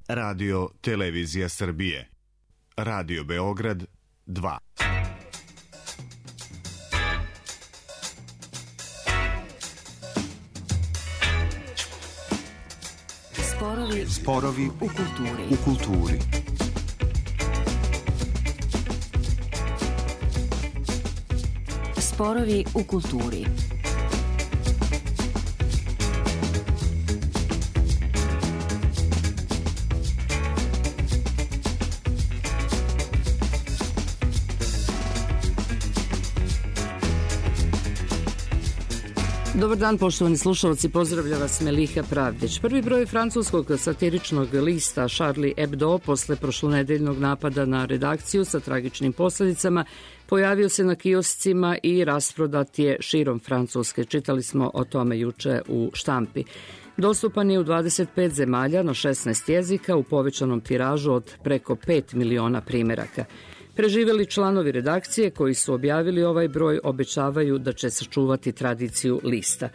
Radio Televizija Srbije. Radio Beograd 2. Sporovi u kulturi. Sporovi u kulturi. Dobar dan, poštovani slušalci, pozdravlja vas Meliha Pravdić. Prvi broj francuskog satiričnog lista Charlie Hebdo posle prošlonedeljnog napada na redakciju sa tragičnim posledicama pojavio se na kioscima i rasprodat je širom Francuske. Čitali smo o tome juče u štampi. Dostupan je u 25 zemalja na 16 jezika u povećanom tiražu od preko 5 miliona primeraka. Preživeli članovi redakcije koji su objavili ovaj broj obećavaju da će sačuvati tradiciju lista.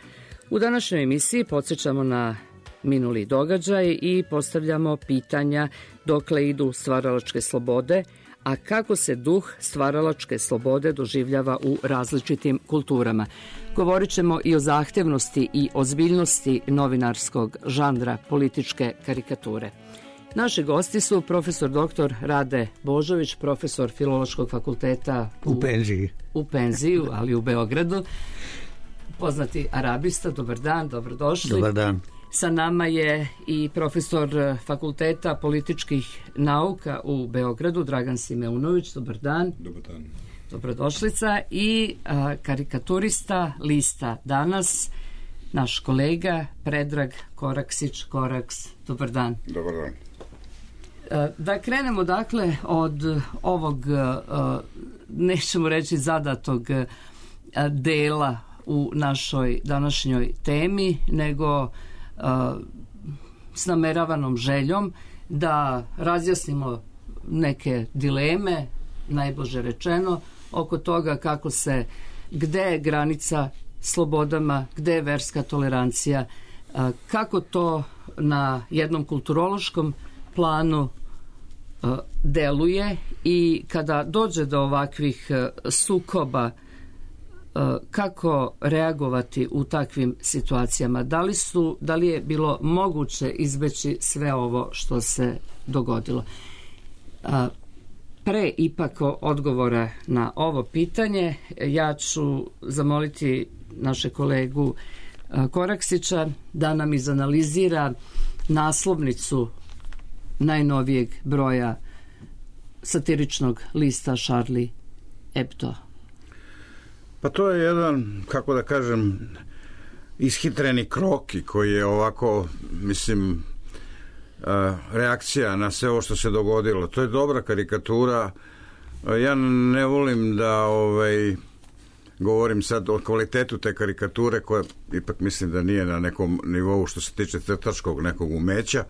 U današnjoj emisiji podsjećamo na minuli događaj i postavljamo pitanja dokle idu stvaralačke slobode, a kako se duh stvaralačke slobode doživljava u različitim kulturama. Govorit ćemo i o zahtevnosti i ozbiljnosti novinarskog žanra političke karikature. Naši gosti su profesor dr. Rade Božović, profesor Filološkog fakulteta u penziji, ali u Beogradu, poznati arabista. Dobar dan, dobrodošli. Dobar dan. Sa nama je i profesor Fakulteta političkih nauka u Beogradu, Dragan Simeunović. Dobar dan. Dobar dan. Dobrodošlica. I karikaturista lista Danas, naš kolega Predrag Koraksić. Koraks, dobar dan. Dobar dan. Da krenemo dakle od ovog, nećemo reći zadatog dela u našoj današnjoj temi, nego s nameravanom željom da razjasnimo neke dileme, najblaže rečeno, oko toga kako se, gde je granica slobodama, gde je verska tolerancija, kako to na jednom kulturološkom planu deluje i kada dođe do ovakvih sukoba, kako reagovati u takvim situacijama. Da li je bilo moguće izbeći sve ovo što se dogodilo? Pre ipak odgovora na ovo pitanje ja ću zamoliti naše kolegu Koraksića da nam izanalizira naslovnicu najnovijeg broja satiričnog lista Charlie Hebdo. Pa to je jedan, kako da kažem, ishitreni kroki koji je ovako, mislim, reakcija na sve ovo što se dogodilo. To je dobra karikatura. Ja ne volim da govorim sad o kvalitetu te karikature, koja ipak mislim da nije na nekom nivou što se tiče crtačkog nekog umeća,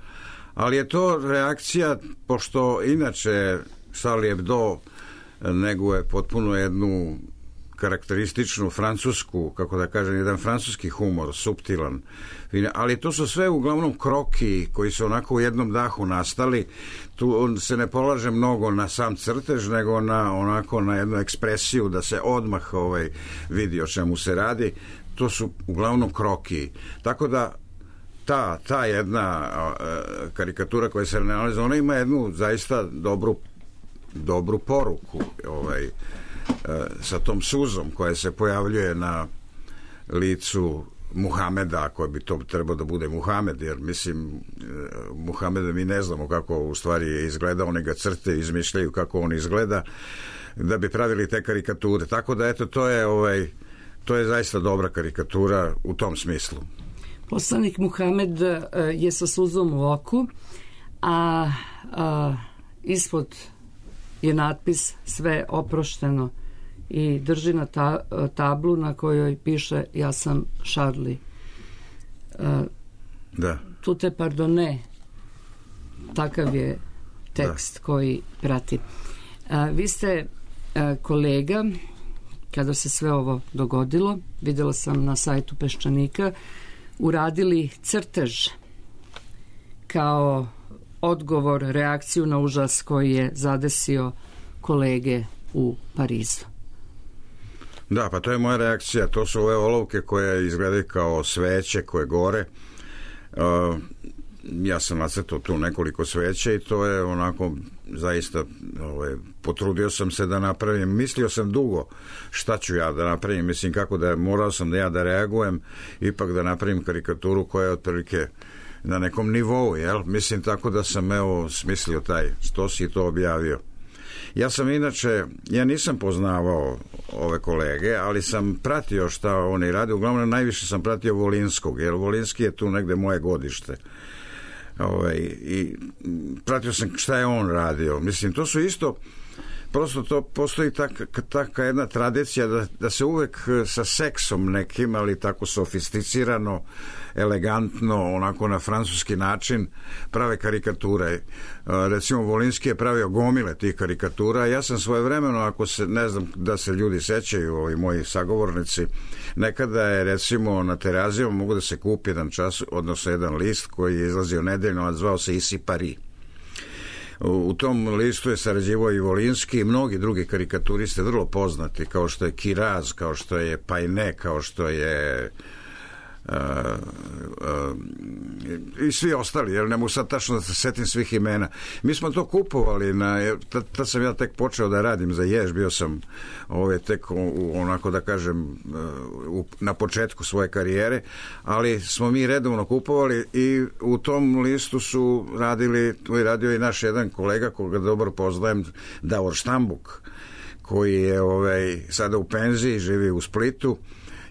ali je to reakcija, pošto inače Charlie Hebdo neguje potpuno jednu karakterističnu francusku, kako da kažem, jedan francuski humor, suptilan, ali to su sve uglavnom kroki koji su onako u jednom dahu nastali. Tu se ne polaže mnogo na sam crtež, nego na jednu ekspresiju da se odmah vidi o čemu se radi. To su uglavnom kroki. Tako da ta jedna karikatura koja se nalazi, ona ima jednu zaista dobru poruku sa tom suzom koja se pojavljuje na licu Muhameda, ako bi to trebao da bude Muhamed, jer mislim Muhameda mi ne znamo kako u stvari je izgledao, oni ga crte, izmišljaju kako on izgleda da bi pravili te karikature, tako da eto to je zaista dobra karikatura u tom smislu. Poslanik Muhamed je sa suzom u oku, a ispod je natpis sve oprošteno i drži na tablu na kojoj piše ja sam Charlie. Da. Tute pardone, takav je tekst koji prati. Vi ste kolega, kada se sve ovo dogodilo, videla sam na sajtu Peščanika, uradili crtež kao odgovor, reakciju na užas koji je zadesio kolege u Parizu. Da, pa to je moja reakcija. To su ove olovke koje izgledaju kao sveće koje gore. Ja sam nacrtao tu nekoliko sveća i to je onako zaista potrudio sam se da napravim. Mislio sam dugo šta ću ja da napravim. Mislim kako da morao sam da reagujem, ipak da napravim karikaturu koja je otprilike na nekom nivou, jel? Mislim tako da sam smislio taj stos i to objavio. Ja sam inače, ja nisam poznavao ove kolege, ali sam pratio šta oni rade. Uglavnom najviše sam pratio Volinskog, jer Volinski je tu negde moje godište. I pratio sam šta je on radio. Mislim, to su isto, prosto to postoji taka jedna tradicija da se uvek sa seksom nekim, ali tako sofisticirano, elegantno, onako na francuski način prave karikature. Recimo Volinski je pravio gomile tih karikatura. Ja sam svojevremeno, ako se, ne znam da se ljudi sećaju, ovi moji sagovornici, nekada je recimo na Terazijama mogu da se kupi jedan čas, odnosno jedan list koji je izlazio nedeljno, a zvao se Ici Paris. U tom listu je sarađivao i Volinski i mnogi drugi karikaturiste vrlo poznati, kao što je Kiraz, kao što je Pajne, kao što je i svi ostali, jer ne mogu sad tačno da se setim svih imena. Mi smo to kupovali, tad sam ja tek počeo da radim za Jež, bio sam tek onako da kažem na početku svoje karijere, ali smo mi redovno kupovali i u tom listu su radio i naš jedan kolega koga dobro poznajem, Davor Štambuk, koji je sada u penziji, živi u Splitu.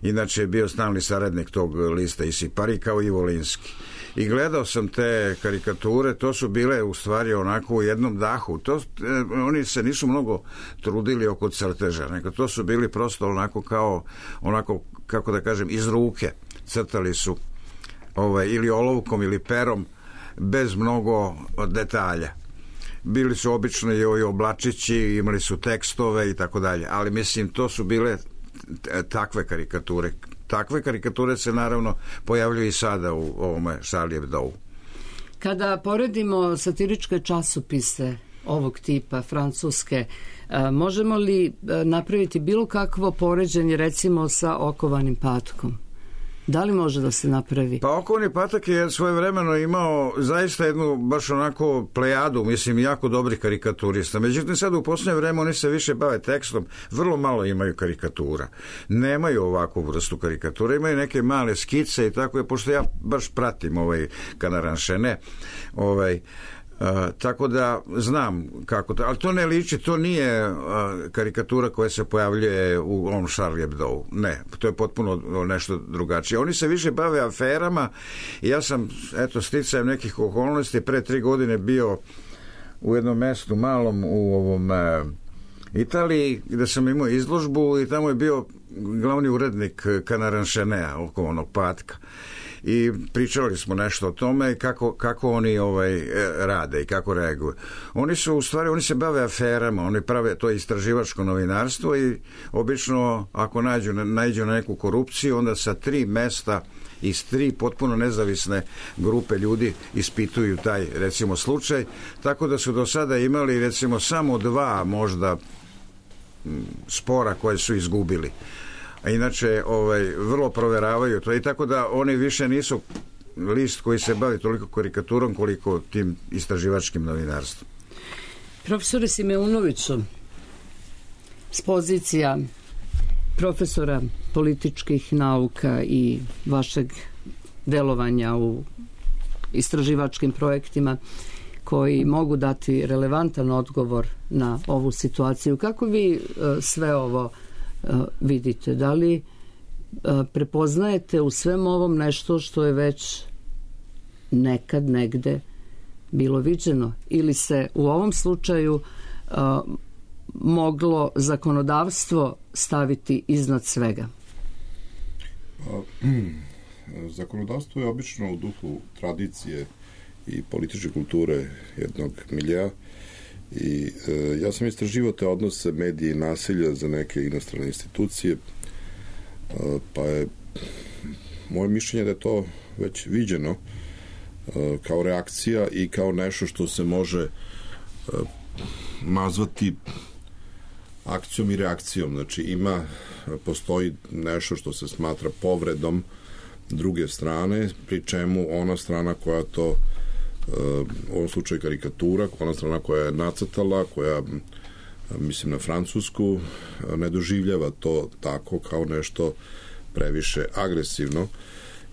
Inače je bio stalni saradnik tog lista Ici Paris kao i Volinski. I gledao sam te karikature, to su bile u stvari onako u jednom dahu. Oni se nisu mnogo trudili oko crteža, nego to su bili prosto onako kako da kažem, iz ruke. Crtali su ili olovkom ili perom, bez mnogo detalja. Bili su obično i ovi oblačići, imali su tekstove i tako dalje, ali mislim to su bile takve karikature. Takve karikature se naravno pojavljuju i sada u ovome Charlie Hebdou. Kada poredimo satiričke časopise ovog tipa, francuske, možemo li napraviti bilo kakvo poređenje recimo sa Okovanim patkom? Da li može da se napravi? Pa Okovani patak je svojevremeno imao zaista jednu baš onako plejadu, mislim, jako dobrih karikaturista. Međutim, sad u posljednje vreme oni se više bave tekstom, vrlo malo imaju karikatura. Nemaju ovakvu vrstu karikatura, imaju neke male skice i tako je, pošto ja baš pratim Canaranchene, tako da znam kako to, ali to ne liči, to nije karikatura koja se pojavljuje u ovom Charlie Hebdou. Ne, to je potpuno nešto drugačije. Oni se više bave aferama i ja sam, sticajem nekih okolnosti, pre 3 godine bio u jednom mestu malom u ovom Italiji, gde sam imao izložbu i tamo je bio glavni urednik Canaranchena, Okovanog patka. I pričali smo nešto o tome kako oni rade i kako reaguju. Oni se bave aferama, oni prave to istraživačko novinarstvo i obično ako naiđu na neku korupciju, onda sa 3 mesta iz 3 potpuno nezavisne grupe ljudi ispituju taj recimo slučaj, tako da su do sada imali recimo samo 2 možda spora koje su izgubili. A inače vrlo proveravaju to i tako da oni više nisu list koji se bavi toliko karikaturom koliko tim istraživačkim novinarstvom. Profesore Simeunoviću, s pozicija profesora političkih nauka i vašeg delovanja u istraživačkim projektima koji mogu dati relevantan odgovor na ovu situaciju, kako vi sve ovo vidite? Da li prepoznajete u svem ovom nešto što je već nekad negde bilo viđeno ili se u ovom slučaju moglo zakonodavstvo staviti iznad svega? Zakonodavstvo je obično u duhu tradicije i političke kulture jednog miljea i ja sam istraživao te odnose medije i nasilja za neke inostrane institucije, pa je moje mišljenje da je to već viđeno kao reakcija i kao nešto što se može nazvati akcijom i reakcijom. Znači postoji nešto što se smatra povredom druge strane, pri čemu ona strana koja to, u ovom slučaju karikatura, ona strana koja je nacrtala, koja, mislim na Francusku, ne doživljava to tako kao nešto previše agresivno.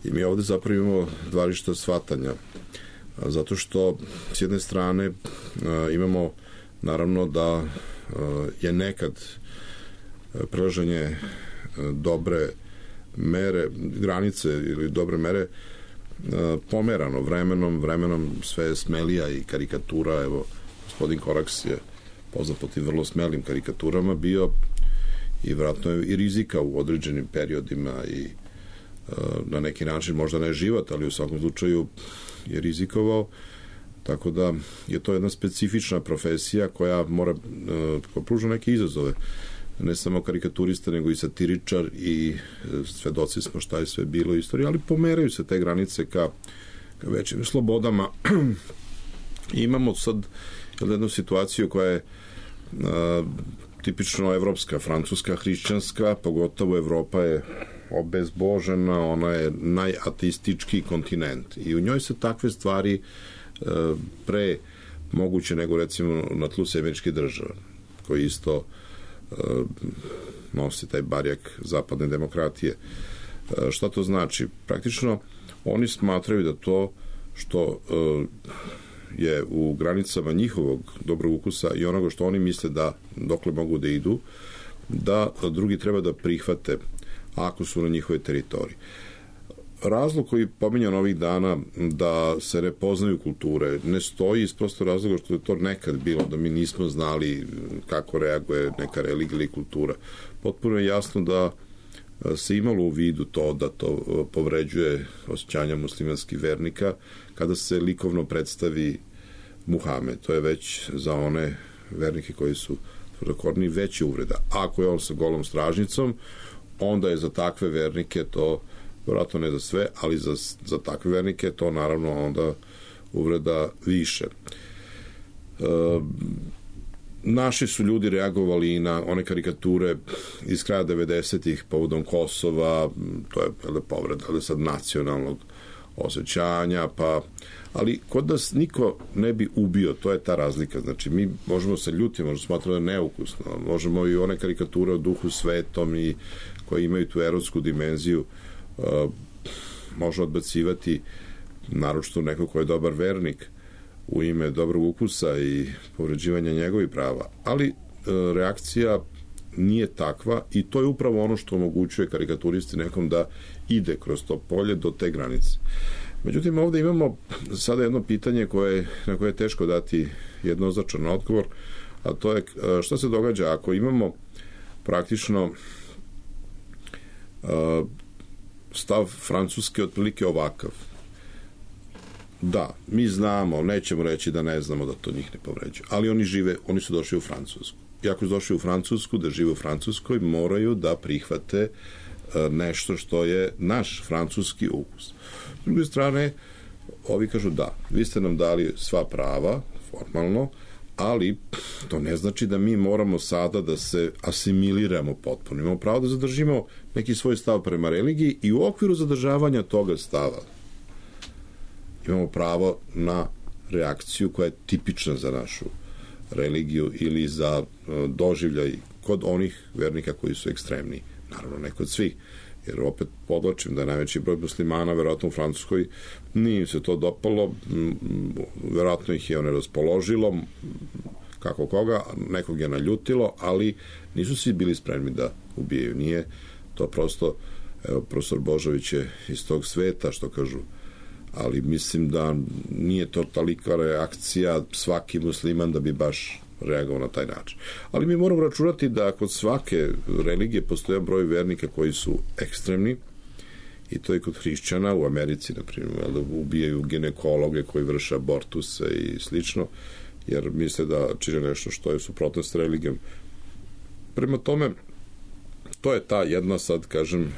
I mi ovde zapravo imamo dva različita shvatanja. Zato što s jedne strane imamo naravno da je nekad prelaženje dobre mere, granice ili dobre mere pomerano vremenom sve je smelija i karikatura. Evo, gospodin Koraks je poznat po tim vrlo smelim karikaturama bio i vjerojatno je i rizika u određenim periodima i na neki način možda ne život, ali u svakom slučaju je rizikovao, tako da je to jedna specifična profesija koja mora pruža neke izazove, ne samo karikaturista nego i satiričar i svedoci smo šta je sve bilo u istoriji, ali pomeraju se te granice ka većim slobodama. I imamo sad jednu situaciju koja je tipično evropska, francuska, hrišćanska, pogotovo Evropa je obezbožena, ona je najateistički kontinent i u njoj se takve stvari pre moguće nego recimo na tlu Američke države, koji isto nosi taj barjak zapadne demokratije. Šta to znači? Praktično oni smatraju da to što je u granicama njihovog dobrog ukusa i onoga što oni misle da dokle mogu da idu, da drugi treba da prihvate ako su na njihove teritoriji. Razlog koji pominjan ovih dana da se ne poznaju kulture ne stoji iz prosto razloga što je to nekad bilo, da mi nismo znali kako reaguje neka religija ili kultura. Potpuno je jasno da se imalo u vidu to da to povređuje osjećanja muslimanskih vernika kada se likovno predstavi Muhamed. To je već za one vernike koji su tvrdokorni veći uvreda. Ako je on sa golom stražnicom, onda je za takve vernike to, vjerojatno ne za sve, ali za takve vernike to naravno onda uvreda više. Naši su ljudi reagovali i na one karikature iz kraja 90-ih povodom Kosova, to je povreda, ali sad nacionalnog osjećanja, ali kod nas niko ne bi ubio, to je ta razlika. Znači, mi možemo se ljutiti, možemo smatrati da je neukusno, možemo i one karikature o duhu svetom i koje imaju tu erotsku dimenziju, može odbacivati naročito neko ko je dobar vernik u ime dobrog ukusa i povređivanja njegovih prava, ali reakcija nije takva i to je upravo ono što omogućuje karikaturisti nekom da ide kroz to polje do te granice. Međutim, ovde imamo sada jedno pitanje na koje je teško dati jednoznačan odgovor, a to je šta se događa ako imamo praktično stav Francuske otprilike ovakav. Da, mi znamo, nećemo reći da ne znamo da to njih ne povređuje, ali oni su došli u Francusku. I ako su došli u Francusku, da žive u Francuskoj, moraju da prihvate nešto što je naš francuski ukus. S druge strane, ovi kažu da, vi ste nam dali sva prava, formalno, ali to ne znači da mi moramo sada da se asimiliramo potpuno. Imamo pravo da zadržimo neki svoj stav prema religiji i u okviru zadržavanja toga stava imamo pravo na reakciju koja je tipična za našu religiju ili za doživljaj kod onih vernika koji su ekstremni. Naravno, ne kod svih, jer opet podlačim da je najveći broj muslimana verovatno u Francuskoj nije se to dopalo, verovatno ih je raspoložilo, kako koga, nekog je naljutilo, ali nisu svi bili spremni da ubijaju. Nije to prosto, evo, profesor Božović je iz tog sveta, što kažu, ali mislim da nije to tolika reakcija svaki musliman da bi baš reagovao na taj način. Ali mi moramo računati da kod svake religije postoje broj vernika koji su ekstremni i to je kod hrišćana u Americi, na primjer, da ubijaju ginekologe koji vrše abortuse i slično, jer misle da čine nešto što je suprotno s religijom. Prema tome, to je ta jedna, sad kažem,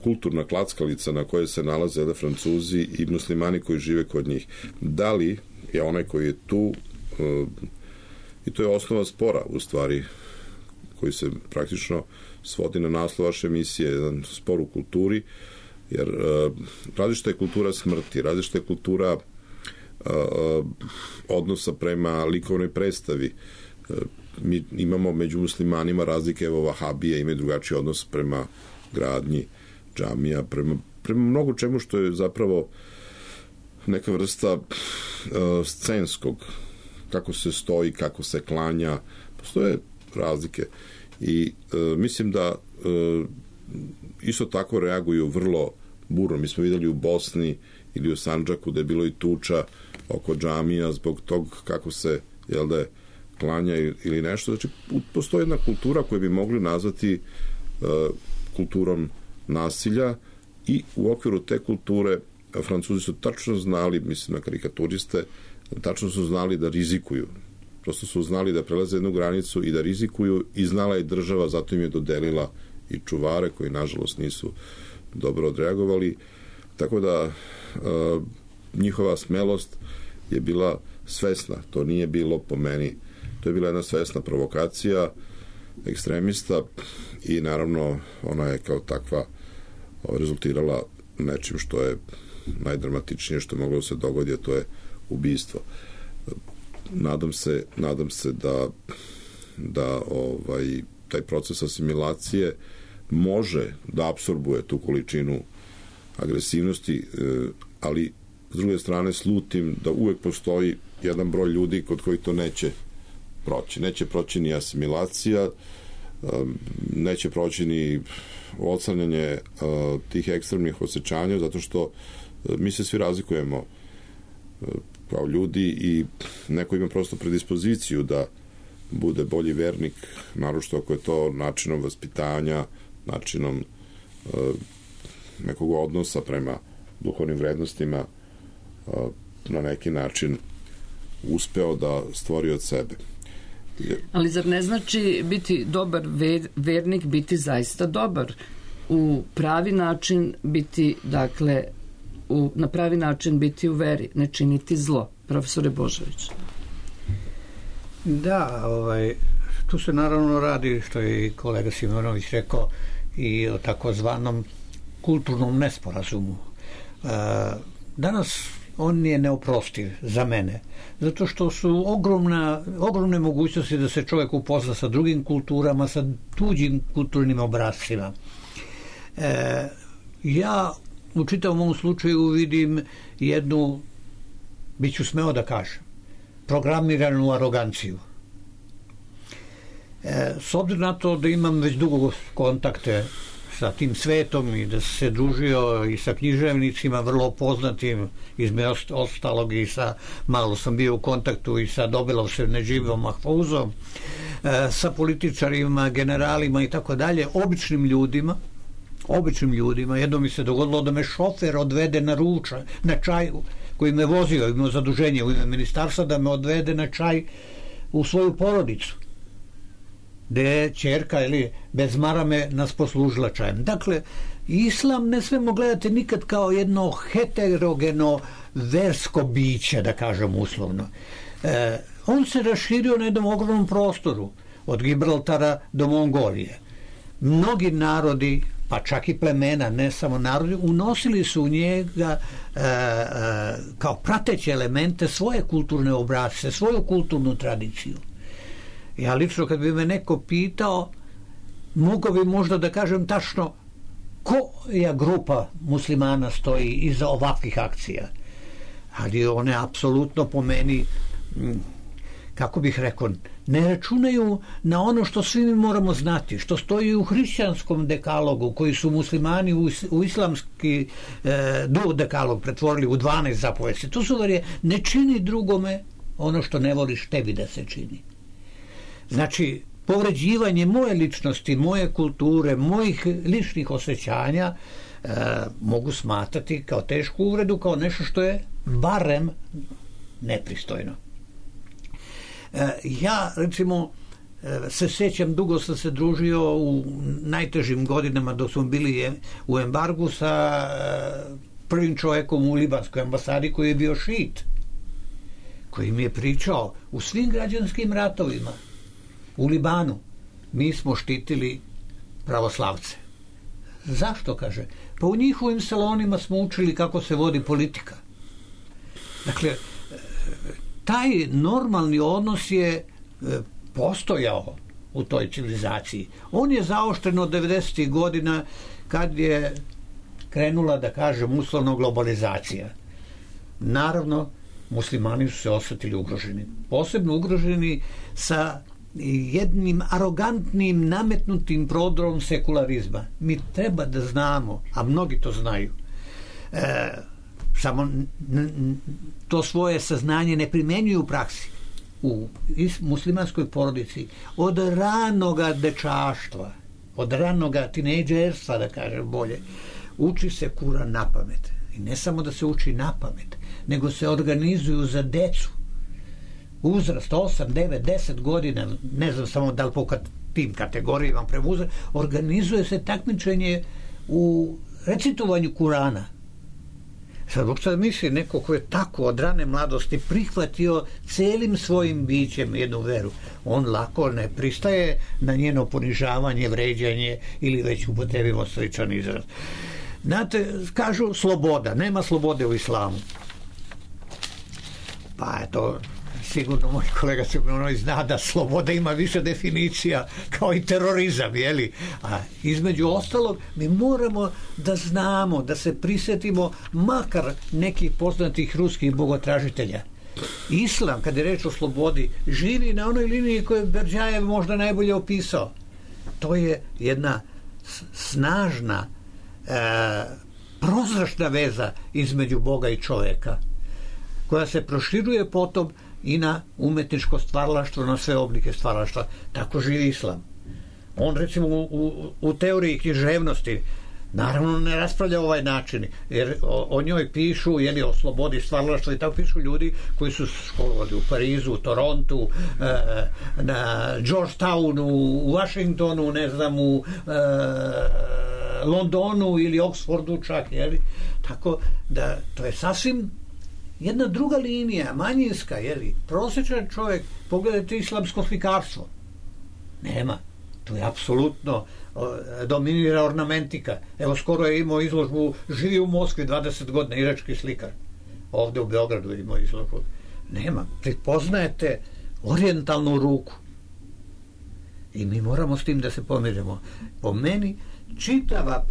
kulturna klackalica na kojoj se nalaze Francuzi i muslimani koji žive kod njih. Da li je onaj koji je tu, i to je osnova spora u stvari, koji se praktično svodi na naslov vaše emisije, jedan spor u kulturi, jer različita je kultura smrti, različita je kultura odnosa prema likovnoj predstavi. Mi imamo među muslimanima razlike, evo Vahabije imaju drugačiji odnos prema gradnji džamija, prema mnogo čemu što je zapravo neka vrsta scenskog, kako se stoji, kako se klanja, postoje razlike i mislim da isto tako reaguju vrlo burno. Mi smo videli u Bosni ili u Sandžaku da je bilo i tuča oko džamija zbog tog kako se, jel da je, klanja ili nešto. Znači, postoji jedna kultura koju bi mogli nazvati kulturom nasilja i u okviru te kulture Francuzi su tačno znali, mislim na karikaturiste, tačno su znali da rizikuju. Prosto su znali da prelaze jednu granicu i da rizikuju i znala je država, zato im je dodelila i čuvare koji nažalost nisu dobro odreagovali. Tako da njihova smelost je bila svesna. To nije bilo po meni. To je bila jedna svesna provokacija ekstremista i naravno ona je kao takva rezultirala nečim što je najdramatičnije što je moglo se dogoditi, a to je ubistvo. Nadam se da taj proces asimilacije može da apsorbuje tu količinu agresivnosti, ali s druge strane slutim da uvek postoji jedan broj ljudi kod koji to neće proći. Neće proći ni asimilacija, neće proći ni odslanjanje tih ekstremnih osjećanja, zato što mi se svi razlikujemo kao ljudi i neko ima prosto predispoziciju da bude bolji vernik, naročito ako je to načinom vaspitanja, načinom nekog odnosa prema duhovnim vrednostima na neki način uspeo da stvori od sebe. Ali zar ne znači biti dobar vernik, biti zaista dobar? U pravi način biti, dakle, na pravi način biti u veri, ne činiti zlo. Profesore Božović. Da, tu se naravno radi, što je i kolega Simonović rekao, i o takozvanom kulturnom nesporazumu. Danas on je neoprostiv za mene, zato što su ogromne mogućnosti da se čovjek upozna sa drugim kulturama, sa tuđim kulturnim obrascima. Ja u čitavom ovom slučaju vidim jednu, bit ću smeo da kažem, programiranu aroganciju. S obzirom na to da imam već dugo kontakte sa tim svetom i da se družio i sa književnicima vrlo poznatim, između ostalog i malo sam bio u kontaktu i sa Dobelovšem Nedživom Mahfuzom, sa političarima, generalima i tako dalje, običnim ljudima. Jedno mi se dogodilo da me šofer odvede na ručak, na čaj, koji me vozio, imao zaduženje u ime ministarstva da me odvede na čaj u svoju porodicu, gde je ćerka ili bez marame nas poslužila čajem. Dakle, islam ne smemo gledati nikad kao jedno heterogeno versko biće, da kažem uslovno. On se raširio na jednom ogromnom prostoru, od Gibraltara do Mongolije. Mnogi narodi, pa čak i plemena, ne samo narodi, unosili su u njega kao prateće elemente svoje kulturne obrasce, svoju kulturnu tradiciju. Ja lično kad bi me neko pitao, mogao bi možda da kažem tačno koja grupa muslimana stoji iza ovakvih akcija. Ali one apsolutno po meni, kako bih rekao, ne računaju na ono što svi mi moramo znati, što stoji u hrišćanskom dekalogu, koji su muslimani u islamski dekalog pretvorili u 12 zapovesti. To su ne čini drugome ono što ne voliš tebi da se čini. Znači, povređivanje moje ličnosti, moje kulture, mojih ličnih osjećanja mogu smatrati kao tešku uvredu, kao nešto što je barem nepristojno. Ja, recimo, se sećam, dugo sam se družio u najtežim godinama dok smo bili u embargu sa prvim čovjekom u libanskoj ambasadi koji je bio šit, koji mi je pričao u svim građanskim ratovima u Libanu mi smo štitili pravoslavce. Zašto, kaže? Pa u njihovim salonima smo učili kako se vodi politika. Dakle, taj normalni odnos je postojao u toj civilizaciji. On je zaoštren od 90. godina kad je krenula, da kažem, uslovno globalizacija. Naravno, muslimani su se osjetili ugroženi. Posebno ugroženi sa jednim arogantnim, nametnutim prodorom sekularizma. Mi treba da znamo, a mnogi to znaju, samo to svoje saznanje ne primenjuju u praksi. U muslimanskoj porodici od ranoga dečaštva, od ranoga tinejdžerstva, da kažem bolje, uči se Kuran na pamet. I ne samo da se uči na pamet, nego se organizuju za decu. Uzrast 8, 9, 10 godina, ne znam samo da li po tim kategorijama prema uzrast, organizuje se takmičenje u recitovanju Kurana. Sad misli neko ko je tako od rane mladosti prihvatio celim svojim bićem jednu veru, on lako ne pristaje na njeno ponižavanje, vređanje ili već upotrebimo sličan izraz. Znate, kažu sloboda, nema slobode u islamu. Pa eto, sigurno moj kolega Crkvenoj zna da sloboda ima više definicija kao i terorizam, jeli? A između ostalog mi moramo da znamo, da se prisjetimo makar nekih poznatih ruskih bogotražitelja. Islam, kad je reč o slobodi, živi na onoj liniji koju je Berdjajev možda najbolje opisao. To je jedna snažna prozračna veza između Boga i čovjeka, koja se proširuje potom i na umetničko stvaralaštvo, na sve oblike stvaralaštva. Tako živi islam. On, recimo, u teoriji književnosti naravno ne raspravlja ovaj način, jer o njoj pišu, jeli, o slobodi stvaralaštva i tako pišu ljudi koji su školovali u Parizu, u Torontu, na Georgetownu, u Washingtonu, ne znam, u Londonu ili Oxfordu čak, jeli? Tako da to je sasvim jedna druga linija, manjinska, jeli? Prosječan čovjek, pogledajte islamsko slikarstvo. Nema. To je apsolutno dominira ornamentika. Evo, skoro je imao izložbu, živi u Moskvi 20 godina, irački slikar. Ovdje u Beogradu je imao izložbu. Nema. Prepoznajete orijentalnu ruku. I mi moramo s tim da se pomirimo. Po meni, čitava,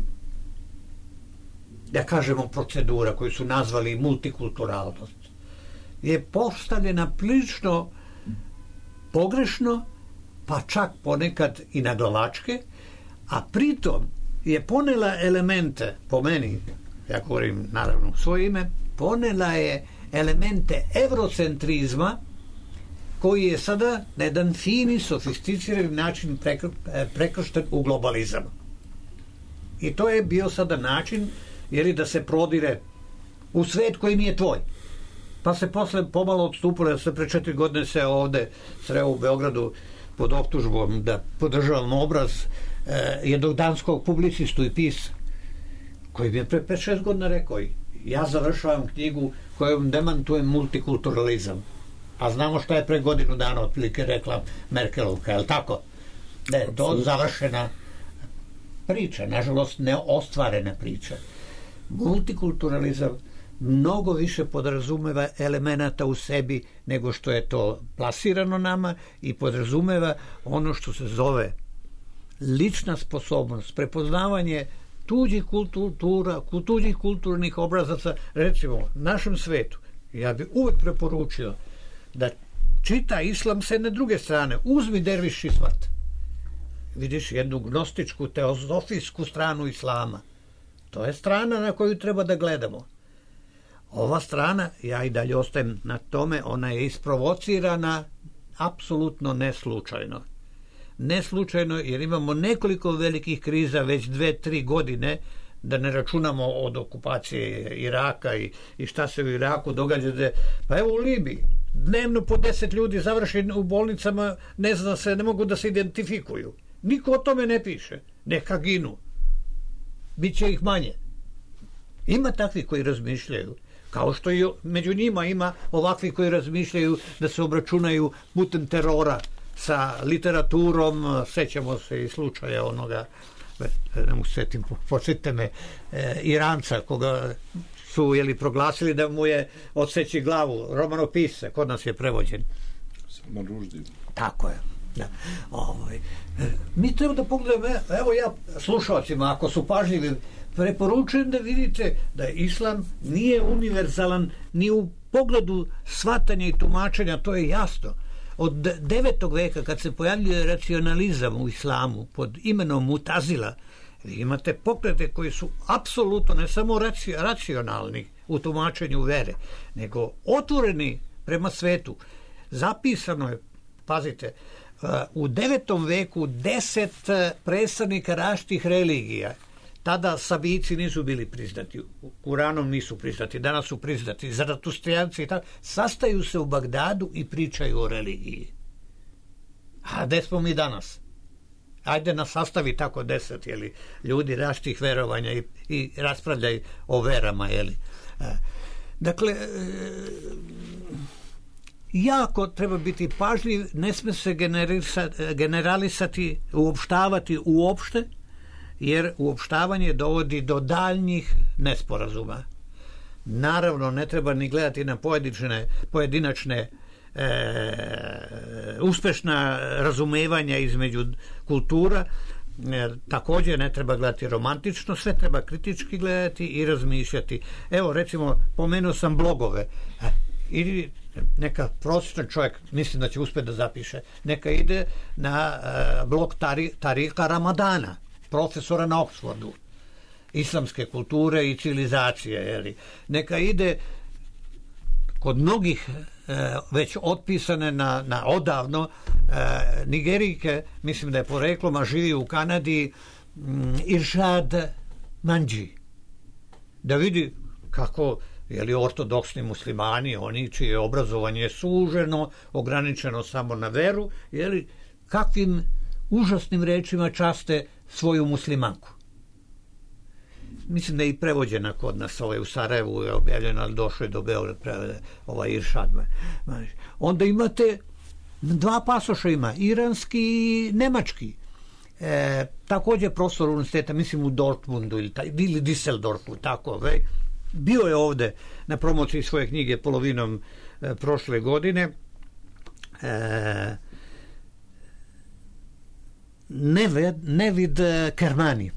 da kažemo, procedura koju su nazvali multikulturalnost je postavljena prilično pogrešno, pa čak ponekad i naglavačke, a pritom je ponela elemente, po meni, ja govorim naravno u svoje ime, ponela je elemente eurocentrizma koji je sada na jedan fini, sofisticirani način prekršten u globalizam. I to je bio sada način, jer da se prodire u svet koji nije tvoj. Pa se posle pomalo odstupilo, da se pre 4 godine se ovde sreo u Beogradu pod optužbom da podržavam obraz jednog danskog publicistu i pisa, koji bi je pre 5-6 godina rekao: ja završavam knjigu kojom demantujem multikulturalizam. A znamo šta je pre godinu dana otprilike rekla Merkelovka, je li tako? Da je to završena priča, nažalost neostvarena priča. Multikulturalizam mnogo više podrazumeva elemenata u sebi nego što je to plasirano nama i podrazumeva ono što se zove lična sposobnost, prepoznavanje tuđih kultura, tuđih kulturnih obrazaca. Recimo, našem svetu, ja bih uvek preporučio da čita islam s jedne druge strane. Uzmi Derviš Ismat. Vidiš jednu gnostičku, teozofijsku stranu islama. To je strana na koju treba da gledamo. Ova strana, ja i dalje ostajem na tome, ona je isprovocirana apsolutno neslučajno. Neslučajno, jer imamo nekoliko velikih kriza već 2-3 godine, da ne računamo od okupacije Iraka i šta se u Iraku događa. Pa evo u Libiji, dnevno po 10 ljudi završi u bolnicama, ne zna se, ne mogu da se identifikuju. Niko o tome ne piše. Neka ginu. Biće ih manje. Ima takvi koji razmišljaju. Kao što i među njima ima ovakvi koji razmišljaju da se obračunaju putem terora sa literaturom. Sećamo se i slučaja onoga, ne mu setim, podsjetite me, Iranca koga su proglasili da mu je odseći glavu, romanopisca, kod nas je prevođen. Salman Rushdie. Tako je. Da. Mi treba da pogledamo, evo ja slušalcima, ako su pažljivi, preporučujem da vidite da islam nije univerzalan ni u pogledu shvatanja i tumačenja, to je jasno. Od 9. veka kad se pojavljuje racionalizam u islamu pod imenom Mutazila, vi imate pokrete koji su apsolutno ne samo racionalni u tumačenju vere, nego otvoreni prema svetu. Zapisano je, pazite, u 9. veku 10 predstavnika različitih religija. Tada Sabici nisu bili priznati, Kuranom nisu priznati, danas su priznati, Zaratustrijanci i tako, sastaju se u Bagdadu i pričaju o religiji. A gde smo mi danas? Ajde nas sastavi tako 10 ljudi različitih verovanja i raspravljaju o verama. Dakle, jako treba biti pažljiv, ne sme se generalisati, uopštavati uopšte, jer uopštavanje dovodi do daljnjih nesporazuma. Naravno, ne treba ni gledati na pojedinačne uspešna razumevanja između kultura, također ne treba gledati romantično, sve treba kritički gledati i razmišljati. Evo, recimo, pomenuo sam blogove. Ili neka prosječan čovjek, mislim da će uspjeti da zapiše, neka ide na blog Tarika Ramadana, profesora na Oxfordu, islamske kulture i civilizacije. Neka ide kod mnogih već otpisane na odavno Nigerijke, mislim da je poreklom, a živi u Kanadi, Iršad Manđi, da vidi kako ortodoksni muslimani, oni čije obrazovanje je suženo, ograničeno samo na veru, kakvim užasnim rečima časte svoju muslimanku. Mislim da je i prevođena kod nas, u Sarajevu je objavljena, ali došlo je do Beograda Iršad. Onda imate dva pasoša, ima iranski i nemački. Također profesor univerziteta, mislim u Dortmundu ili Düsseldorfu, tako. Bio je ovde na promociji svoje knjige polovinom prošle godine. Nevid Kermani,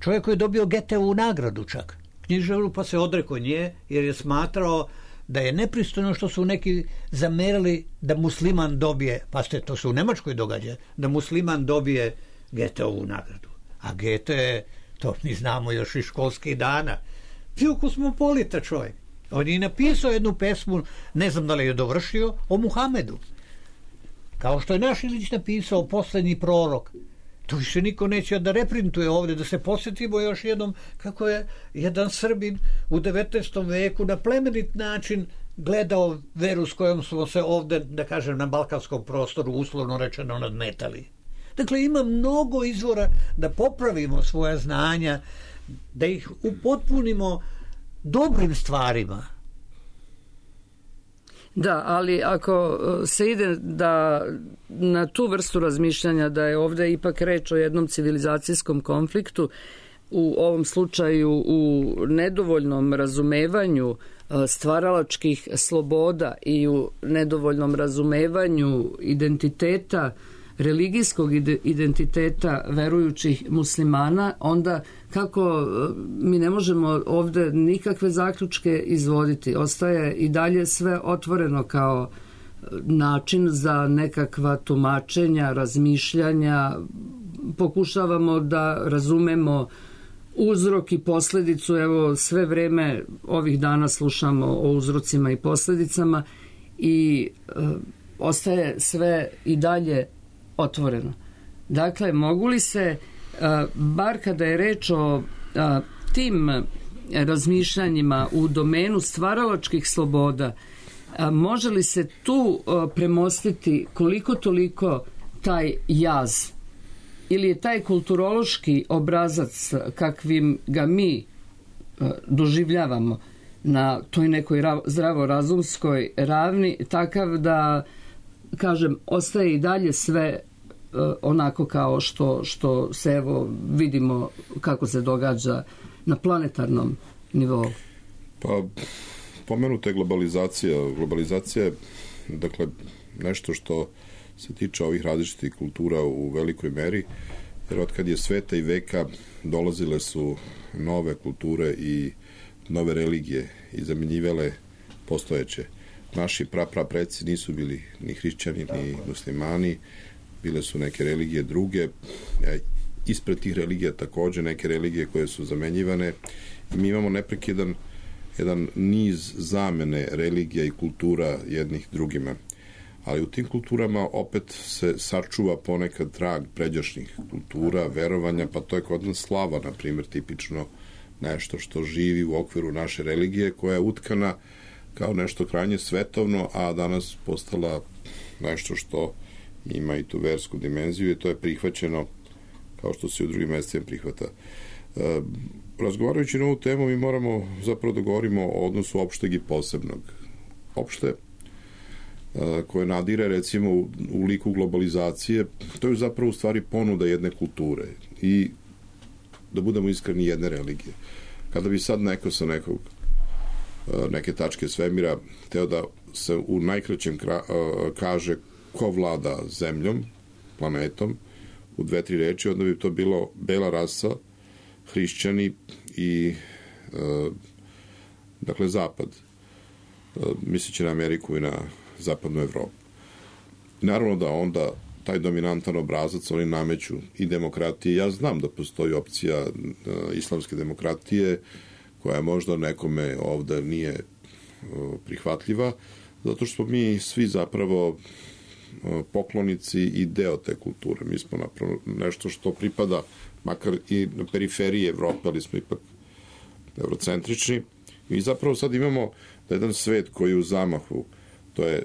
čovjek koji je dobio Goetheovu nagradu čak, književnu, pa se odrekao nje jer je smatrao da je nepristojno što su neki zamerali da musliman dobije, pa to se u Nemačkoj događa, da musliman dobije Goetheovu nagradu. A Goethe, to mi znamo još iz školskih dana, bio kosmopolita čovjek. On je napisao jednu pesmu, ne znam da li je dovršio, o Muhamedu. Kao što je naš Ilić napisao Poslednji prorok. To više niko neće da reprintuje ovdje, da se posjetimo još jednom kako je jedan Srbin u 19. veku na plemenit način gledao veru s kojom smo se ovdje, da kažem, na balkanskom prostoru uslovno rečeno nadmetali. Dakle, ima mnogo izvora da popravimo svoja znanja, da ih upotpunimo dobrim stvarima. Da, ali ako se ide da na tu vrstu razmišljanja da je ovdje ipak reč o jednom civilizacijskom konfliktu, u ovom slučaju u nedovoljnom razumevanju stvaralačkih sloboda i u nedovoljnom razumevanju identiteta, religijskog identiteta verujućih muslimana, onda kako mi ne možemo ovdje nikakve zaključke izvoditi. Ostaje i dalje sve otvoreno kao način za nekakva tumačenja, razmišljanja. Pokušavamo da razumemo uzrok i posljedicu. Evo, sve vreme ovih dana slušamo o uzrocima i posljedicama i ostaje sve i dalje otvoreno. Dakle, mogu li se, bar kada je reč o tim razmišljanjima u domenu stvaralačkih sloboda, može li se tu premostiti koliko toliko taj jaz? Ili je taj kulturološki obrazac kakvim ga mi doživljavamo na toj nekoj zdravorazumskoj ravni takav da, kažem, ostaje i dalje sve onako kao što se evo vidimo kako se događa na planetarnom nivou? Pa, pomenuta je globalizacija. Globalizacija je, dakle, nešto što se tiče ovih različitih kultura u velikoj meri, jer od kad je sveta i veka dolazile su nove kulture i nove religije i zamenjivale postojeće. Naši preci nisu bili ni hrišćani, ni muslimani, bile su neke religije druge, ispred tih religija takođe neke religije koje su zamenjivane i mi imamo neprekidan jedan niz zamene religija i kultura jednih drugima. Ali u tim kulturama opet se sačuva ponekad trag pređašnjih kultura, verovanja, pa to je kod nas slava, na primjer, tipično nešto što živi u okviru naše religije, koja je utkana kao nešto krajnje svetovno, a danas postala nešto što ima i tu versku dimenziju i to je prihvaćeno kao što se u drugim mestima prihvata. Razgovarajući na ovu temu, mi moramo zapravo da govorimo o odnosu opšteg i posebnog. Opšte, koje nadire recimo u liku globalizacije, to je zapravo u stvari ponuda jedne kulture i, da budemo iskreni, jedne religije. Kada bi sad neko sa neke tačke svemira teo da se u najkraćem kaže ko vlada zemljom, planetom, u 2-3 reči, onda bi to bilo bela rasa, hrišćani i dakle zapad, misleći na Ameriku i na zapadnu Evropu. Naravno da onda taj dominantan obrazac oni nameću i demokratije. Ja znam da postoji opcija islamske demokratije koja možda nekome ovde nije prihvatljiva, zato što smo mi svi zapravo poklonici i deo te kulture. Mi smo napravo nešto što pripada makar i na periferiji Evrope, ali smo ipak eurocentrični. I zapravo sad imamo jedan svet koji je u zamahu, to je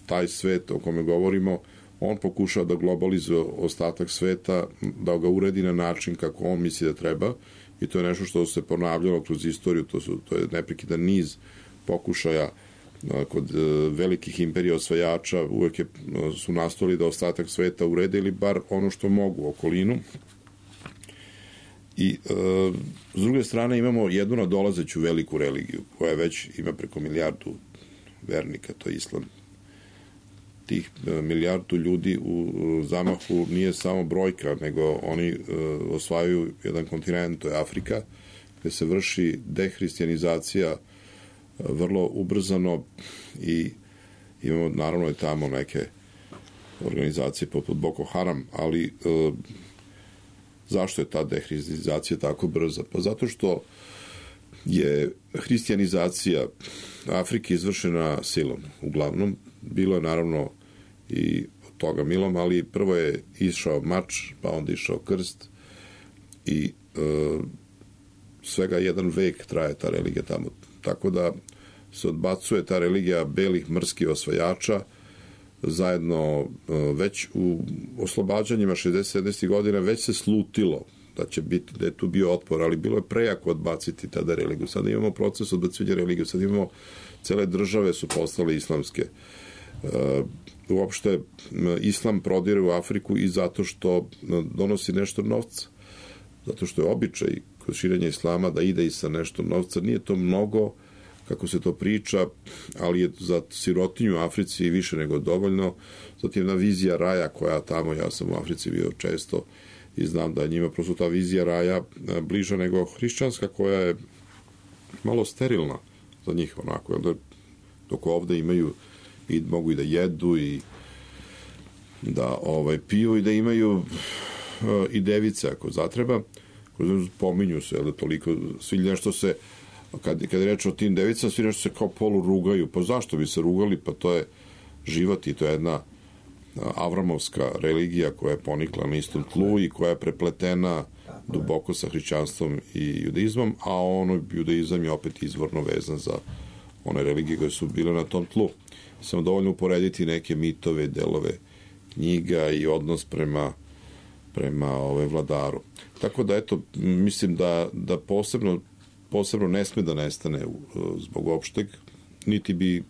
taj svet o kome govorimo, on pokušava da globalizuje ostatak sveta, da ga uredi na način kako on misli da treba i to je nešto što se ponavljalo kroz istoriju, to je neprekidan niz pokušaja kod velikih imperija osvajača, uvek su nastojali da ostatak sveta urede ili bar ono što mogu, okolinu. I s druge strane imamo jednu nadolazeću veliku religiju koja već ima preko 1 milijardu vernika, to je islam. Tih 1 milijardu ljudi u zamahu nije samo brojka, nego oni osvajaju jedan kontinent, to je Afrika, gde se vrši dehristijanizacija vrlo ubrzano i imamo naravno i tamo neke organizacije poput Boko Haram, ali zašto je ta dehristijanizacija tako brza? Pa zato što je hristijanizacija Afrike izvršena silom, uglavnom. Bilo je naravno i od toga milom, ali prvo je išao mač, pa onda išao krst i svega 1 vek traje ta religija tamo. Tako da se odbacuje ta religija belih mrskih osvajača zajedno već u oslobađanjima 60-70 godina već se slutilo da će biti, da je tu bio otpor, ali bilo je prejako odbaciti tada religiju. Sada imamo proces odbacivanja religiju, sada imamo cele države su postale islamske. Uopšte islam prodire u Afriku i zato što donosi nešto novca. Zato što je običaj kod širenja islama da ide i sa nešto novca. Nije to mnogo, kako se to priča, ali je za sirotinju u Africi više nego dovoljno. Zatim jedna vizija raja koja tamo, ja sam u Africi bio često i znam da je njima prosto ta vizija raja bliža nego hrišćanska koja je malo sterilna za njih onako. Onda, dok ovde imaju i mogu i da jedu i da piju i da imaju i device ako zatreba, pominju se, da toliko svi nešto se kad je reč o tim devicama, svi nešto se kao polu rugaju. Pa zašto bi se rugali? Pa to je život i to je jedna avramovska religija koja je ponikla na istom tlu i koja je prepletena duboko sa hrišćanstvom i judaizmom, a judaizam je opet izvorno vezan za one religije koje su bile na tom tlu. Samo dovoljno uporediti neke mitove, delove knjiga i odnos prema vladaru. Tako da, eto, mislim da posebno ne sme da nestane zbog opšteg, niti bi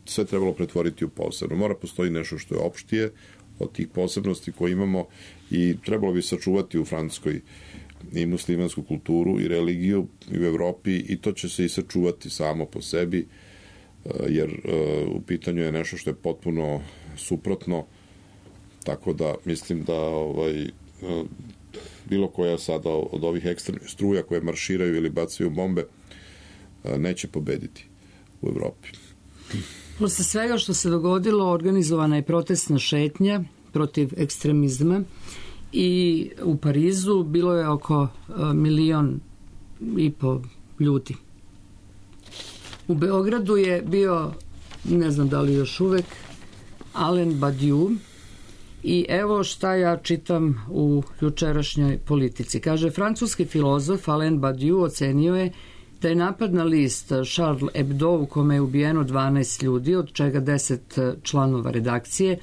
sve trebalo pretvoriti u posebno. Mora postoji nešto što je opštije od tih posebnosti koje imamo i trebalo bi sačuvati u Francuskoj i muslimansku kulturu i religiju i u Evropi i to će se i sačuvati samo po sebi, jer u pitanju je nešto što je potpuno suprotno, tako da mislim da bilo koja sada od ovih ekstremnih struja koje marširaju ili bacaju bombe neće pobediti u Evropi. Posle svega što se dogodilo, organizovana je protestna šetnja protiv ekstremizma i u Parizu bilo je oko 1,5 miliona ljudi. U Beogradu je bio, ne znam da li još uvek, Alain Badiou i evo šta ja čitam u jučerašnjoj Politici. Kaže, francuski filozof Alain Badiou ocenio je da je napad na list Charlie Hebdo u kome je ubijeno 12 ljudi, od čega 10 članova redakcije,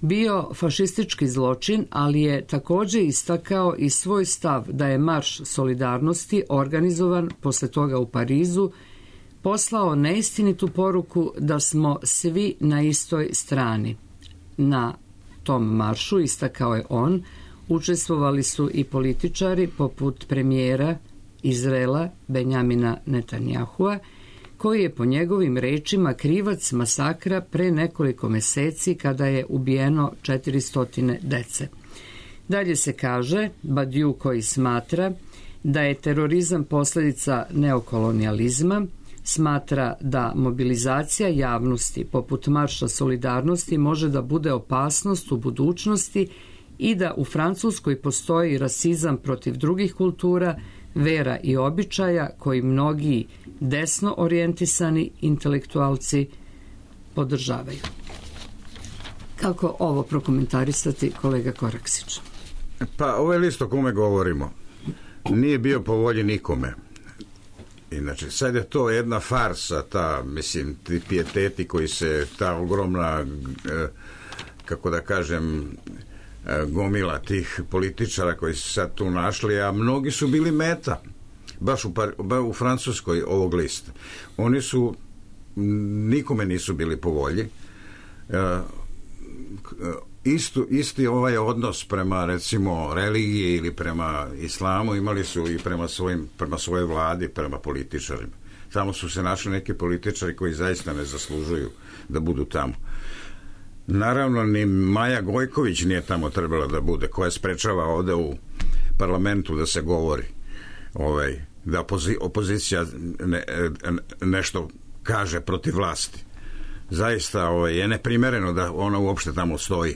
bio fašistički zločin, ali je takođe istakao i svoj stav da je marš solidarnosti organizovan posle toga u Parizu poslao neistinitu poruku da smo svi na istoj strani. Na tom maršu, istakao je on, učestvovali su i političari poput premijera Izraela Benjamina Netanjahua, koji je po njegovim rečima krivac masakra pre nekoliko meseci kada je ubijeno 400 dece. Dalje se kaže, Badiou koji smatra da je terorizam posledica neokolonijalizma, smatra da mobilizacija javnosti poput marša solidarnosti može da bude opasnost u budućnosti i da u Francuskoj postoji rasizam protiv drugih kultura, vera i običaja koji mnogi desno orijentisani intelektualci podržavaju. Kako ovo prokomentarisati, kolega Koraksić? Pa ovaj list o kome govorimo nije bio po volji nikome. Inače, sad je to jedna farsa, ti pijeteti koji se, ta ogromna, kako da kažem, gomila tih političara koji su sad tu našli, a mnogi su bili meta, baš u Francuskoj ovog lista. Oni su, nikome nisu bili po volji. Isti ovaj odnos prema, recimo, religiji ili prema islamu imali su i prema svojoj vladi, prema političarima. Tamo su se našli neki političari koji zaista ne zaslužuju da budu tamo. Naravno, ni Maja Gojković nije tamo trebala da bude, koja sprečava ovde u parlamentu da se govori, da opozicija nešto kaže protiv vlasti. Zaista je neprimereno da ona uopšte tamo stoji.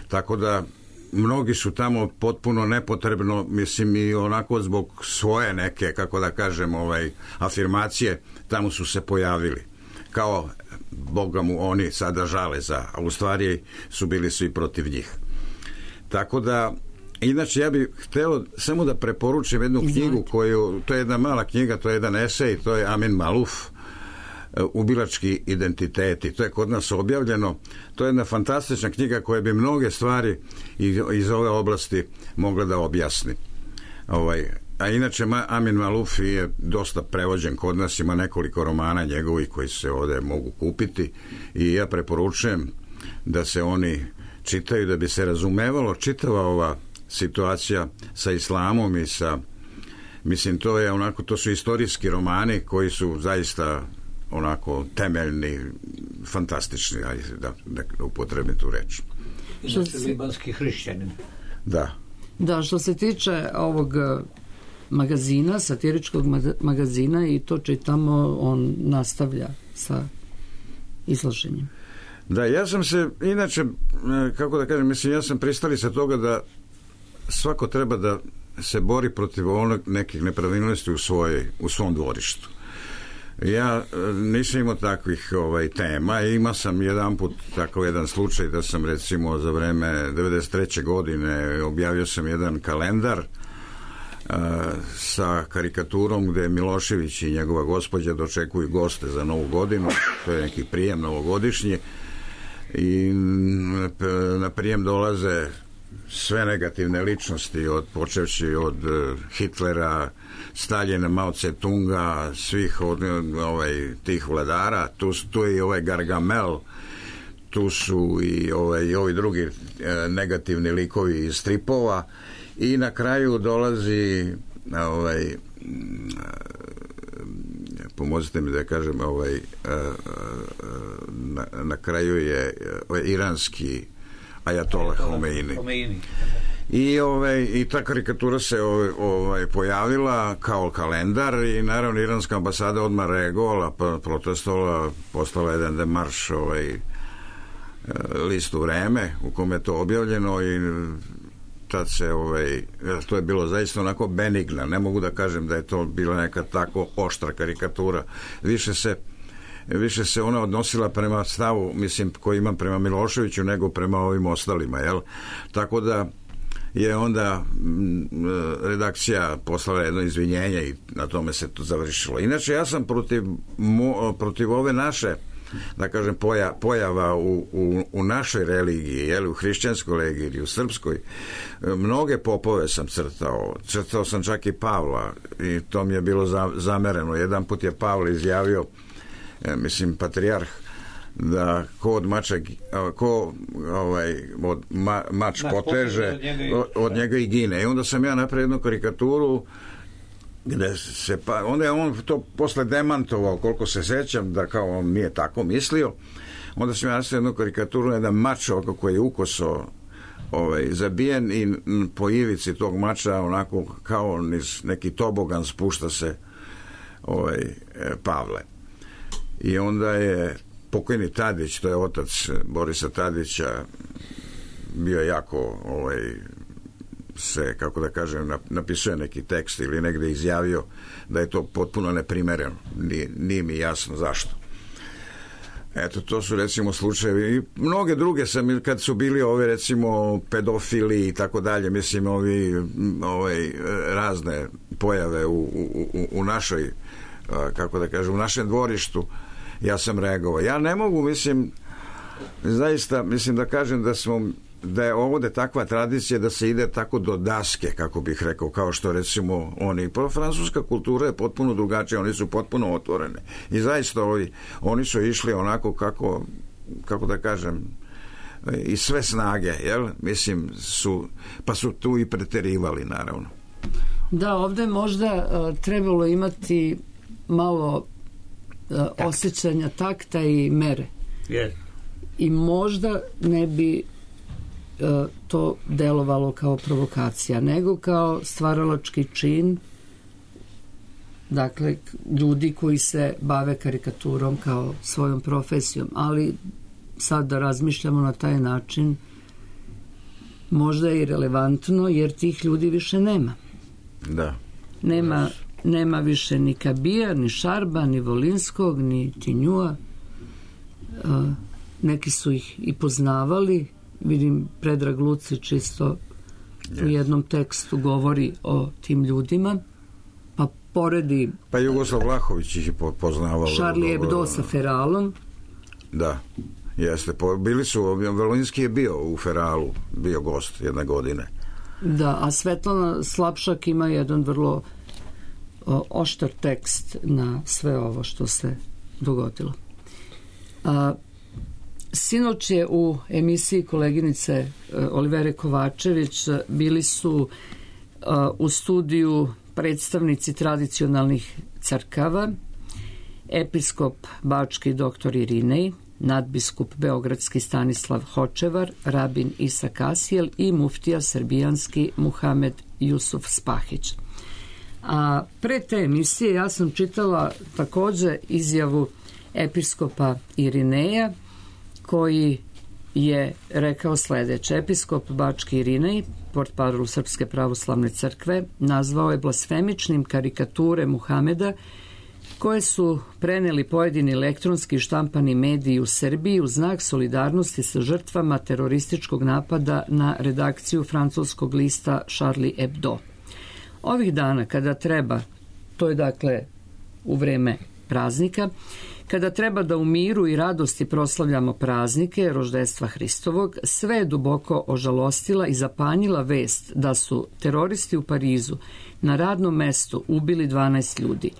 Tako da mnogi su tamo potpuno nepotrebno, mislim, i onako zbog svoje neke, kako da kažem, afirmacije, tamo su se pojavili. Kao Boga mu oni sada žale a u stvari bili su i protiv njih. Tako da, inače ja bih hteo samo da preporučim jednu knjigu to je jedna mala knjiga, to je jedan esej, to je Amin Maluf, Ubilački identiteti. To je kod nas objavljeno. To je jedna fantastična knjiga koja bi mnoge stvari iz ove oblasti mogla da objasni. A inače Amin Maluf je dosta prevođen kod nas, ima nekoliko romana njegovih koji se ovde mogu kupiti i ja preporučujem da se oni čitaju, da bi se razumevalo čitava ova situacija sa islamom i sa, mislim, to su istorijski romani koji su zaista onako temeljni, fantastični, da upotrebim tu reč. Inače, libanski hrišćanin. Da, što se tiče ovog magazina, satiričkog magazina, i to čitamo, on nastavlja sa izlaženjem. Da, ja sam se, inače, kako da kažem, mislim, ja sam pristalica toga da svako treba da se bori protiv nekih nepravilnosti u svom dvorištu. Ja nisam imao takvih tema. Imao sam jedan put takav jedan slučaj da sam, recimo, za vreme 93. godine objavio sam jedan kalendar sa karikaturom gde Milošević i njegova gospođa dočekuju goste za Novu godinu, to je neki prijem novogodišnji, i na prijem dolaze sve negativne ličnosti, počevši od Hitlera, Staljina, Mao Tse-tunga, svih tih vladara. Tu je i ovaj Gargamel, tu su i ovi drugi negativni likovi iz stripova, i na kraju dolazi pomozite mi da kažem, na kraju je iranski ajatola Homeini. I ta karikatura se pojavila kao kalendar, i naravno iranska ambasada odmah reagovala, protestovala, poslala jedan demarš listu Vreme u kome je to objavljeno, i tad se to je bilo zaista onako benigna, ne mogu da kažem da je to bila neka tako oštra karikatura, više se ona odnosila prema stavu, mislim, koji imam prema Miloševiću nego prema ovim ostalima, jel? Tako da je onda redakcija poslala jedno izvinjenje i na tome se to završilo. Inače, ja sam protiv ove naše, da kažem, pojava u našoj religiji, jel, u hrišćanskoj religiji ili u srpskoj, mnoge popove sam crtao sam čak i Pavla, i to mi je bilo zamereno. Jedan put je Pavle izjavio, mislim, patrijarh, da mač poteže, od njega i gine. I onda sam ja napravio jednu karikaturu gde se, onda je on to posle demantovao, koliko se sećam, da kao on nije tako mislio. Onda sam ja nastavio jednu karikaturu, jedan mač koji je ukoso zabijen, i po ivici tog mača onako kao niz neki tobogan spušta se Pavle. I onda je pokojni Tadić, to je otac Borisa Tadića, bio jako se, kako da kažem, napisuje neki tekst ili negde izjavio da je to potpuno neprimereno. Nije mi jasno zašto. Eto, to su recimo slučajevi. I mnoge druge sam, kad su bili recimo pedofili i tako dalje, mislim, razne pojave u našoj, kako da kažem, u našem dvorištu, ja sam reagovao. Ja ne mogu, mislim, zaista, mislim da kažem da je ovde takva tradicija da se ide tako do daske, kako bih rekao, kao što recimo oni. Francuska kultura je potpuno drugačija, oni su potpuno otvorene. I zaista oni su išli onako kako da kažem, i sve snage, jel? Mislim, pa su tu i preterivali, naravno. Da, ovde možda trebalo imati malo osjećanja takta i mere. Yes. I možda ne bi to delovalo kao provokacija, nego kao stvaralački čin, dakle, ljudi koji se bave karikaturom kao svojom profesijom. Ali sad da razmišljamo na taj način, možda je i relevantno, jer tih ljudi više nema. Da. Nema više ni Kabija, ni Šarba, ni Volinskog, ni Tinjua. Neki su ih i poznavali. Vidim, Predrag Lucić isto u jednom tekstu govori o tim ljudima, pa poredi... Pa Jugoslav Vlahović ih je poznavao. Charlie Hebdo sa Feralom. Da, jeste. Bili su, Volinski je bio u Feralu, bio gost jedne godine. Da, a Svetlana Slapšak ima jedan vrlo oštar tekst na sve ovo što se dogodilo. Sinoć je u emisiji koleginice Olivere Kovačević bili su u studiju predstavnici tradicionalnih crkava, episkop bački dr. Irinej, nadbiskup beogradski Stanislav Hočevar, rabin Isa Kasijel i muftija srbijanski Muhamed Jusuf Spahić. A pre te emisije ja sam čitala takođe izjavu episkopa Irineja, koji je rekao sledeće. Episkop bački Irinej, portparol Srpske pravoslavne crkve, nazvao je blasfemičnim karikature Muhameda koje su preneli pojedini elektronski i štampani mediji u Srbiji u znak solidarnosti sa žrtvama terorističkog napada na redakciju francuskog lista Charlie Hebdo. Ovih dana kada treba, to je dakle u vreme praznika, kada treba da u miru i radosti proslavljamo praznike roždestva Hristovog, sve je duboko ožalostila i zapanjila vest da su teroristi u Parizu na radnom mestu ubili 12 ljudi.